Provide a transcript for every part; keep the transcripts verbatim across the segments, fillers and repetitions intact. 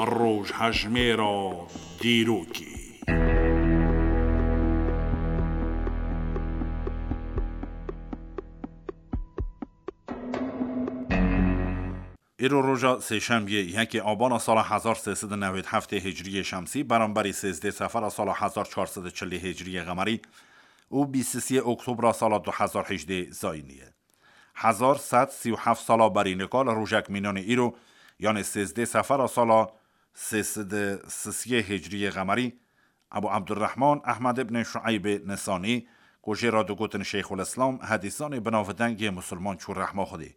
Rojhejmêra dîrokê. Îro roja sêşemiyê, yekê Abana sala hezar sê sed û newêd heftê Hicriyê Şemsî, beramberî sêzdê Sefera sala hezar çar sed û çilî Hicriyê Qemerî û bîst û sê Oktobra sala du hezar hejdê Zayînî ye. Hezar sed sî û heft sala berî nika li rojek mînanê îro, yanê sêzdê Sefera sala sê sed û sisiyê Hicriyê Qemerî, Ebu Ebdurrehman Ehmed ibn Şueybê Nisanî, ku jê re digotin Şeyxul Îslam, hedîsanê binavdeng yê musulman çû rehma Xwedê.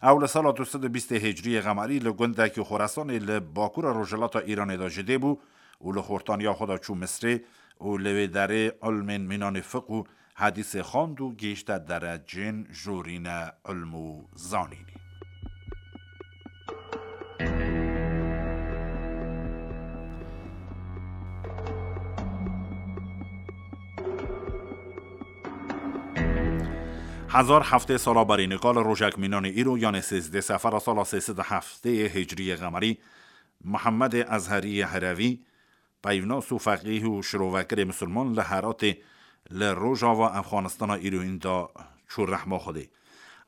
Ew li sala du sed û bîstê Hicriyê Qemerî li gundekî Xoresanê li bakura rojhilata Îranê de ji dê bû û li xortaniya xwe de çû Misrê û li wê derê ilmên mînanê fiqh û hedîsê xwend û gihîşte derecên jorîne ilm û zanînê. Hezar heftê sala berî nika li rojek mînanê îro, yanê sêzdê Sefera sala sê sed û heftê Hicriyê Qemerî, Mihemedê Ezheriyê Herevî, peyvnas û feqîh û şirovekirê misilman li Heratê li rojava Efxanistana îroyîn de çû rehma Xwedê.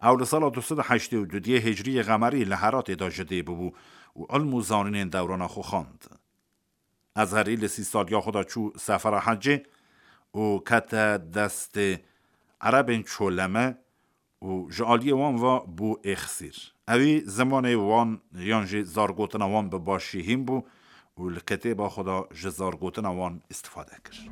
Ew li sala du sed û heştê û dudiyê Hicriyê Qemerî li Heratê de ji dê bûbû û ilm û zanînên dewrana xwe xwend. Ezherî li sî saliya xwe de çû sefera hecê û kete destê Erebên Çoleme û ji aliyê wan ve bû êxsîr. Ewî zimanê wan yan jî zargotina wan bi başî hîn bû û li kitêba xwe de ji zargotina wan îstifade kir.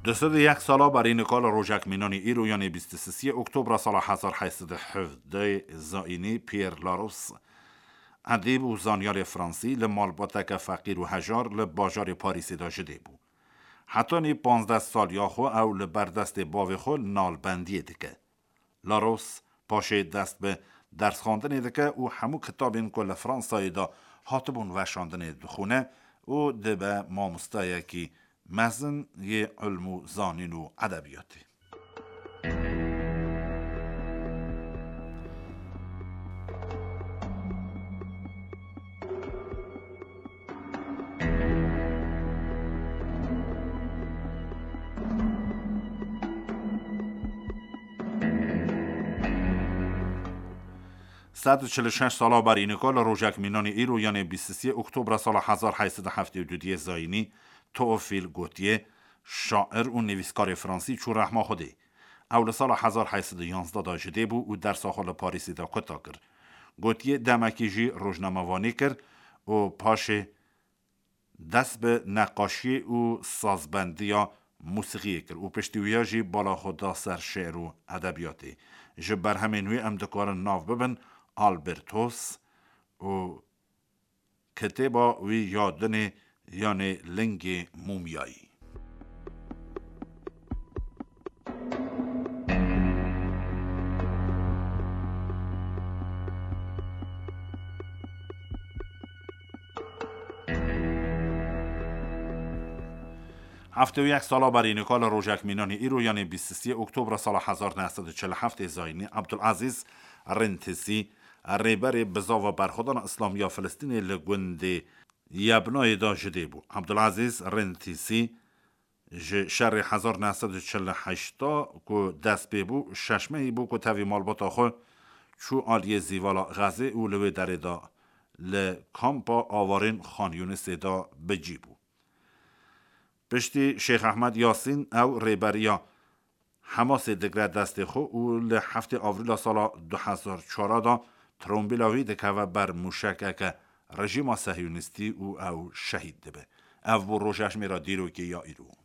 Du sed û yek sala berî nika li rojek mînanî îro, yanê bîst û sisiyê Oktobra sala hezar heyt sed û hevdeh Zayînî, Pierre Larousse, edîb û zanyarê fransî, li malbateke feqîr û hejar li bajarê Parîsê de ji dê bû. Hetanî panzdeh saliya xwe ew li ber destê bavê xwe nalbendiyê dike. Larousse paşê dest bi dersxwendinê dike û hemû kitabên ku li Fransayê de hatibûn veşandinê dixwîne û dibe mamostayekî mezin yê ilm û zanîn û edebiyatê. Sed û çil û şeş sala berî nika li rojek mînanî îro, yanê bîst û sê Oktobra sala hezar heyt sed û heftê û dudiyê Zayînî, Théophile Gautier, şair û nivîskarê fransî çû rehma Xwedê. Ew li sala hezar heyt sed û yanzdeh de ji dê bû û dersa xwe li Parîsê de kuta kir. Gautier demekî jî rojnamevanî kir û paşê dest bi neqaşiyê û sazbendiya mûsîqiyê kir û piştî wiya jî bala xwe da ser şi'r û edebiyatê. Ji berhemên wî em dikarin nav bibin Albertos û kitêba wî ya dinê, yanê Lingê Mûmyayî. Heftê û yek sala berî nika li rojek mînanî îro, yanê bîst û sê Oktobra sala hezar neh sed û çil û heftê Zayînî, Abdulazîz Rintisi, rêberê bizava berxwedana Îslamî ya Filistînê li gundê Yebnayê de ji dê bû. Abdulazîz Rintisi ji şerê hezar neh sed û çil û heşt ku dest pê bû, şeş mehî bû ku tevî malbata xwe çû aliyê Zîvala Xezê û li wê derê de li kampa awarên Xan Yûnisê de bi cî bû. Piştî Şêx Ehmed Yasîn ew rêberiya Hemasê digre destê xwe û li heftê Avrîla sala du hezar çar de trombîla wî dikeve ber mûşekeke rejîma sehyûnîstî û ew şehîd dibe. Ev bû rojejmêra dîrokê ya îro.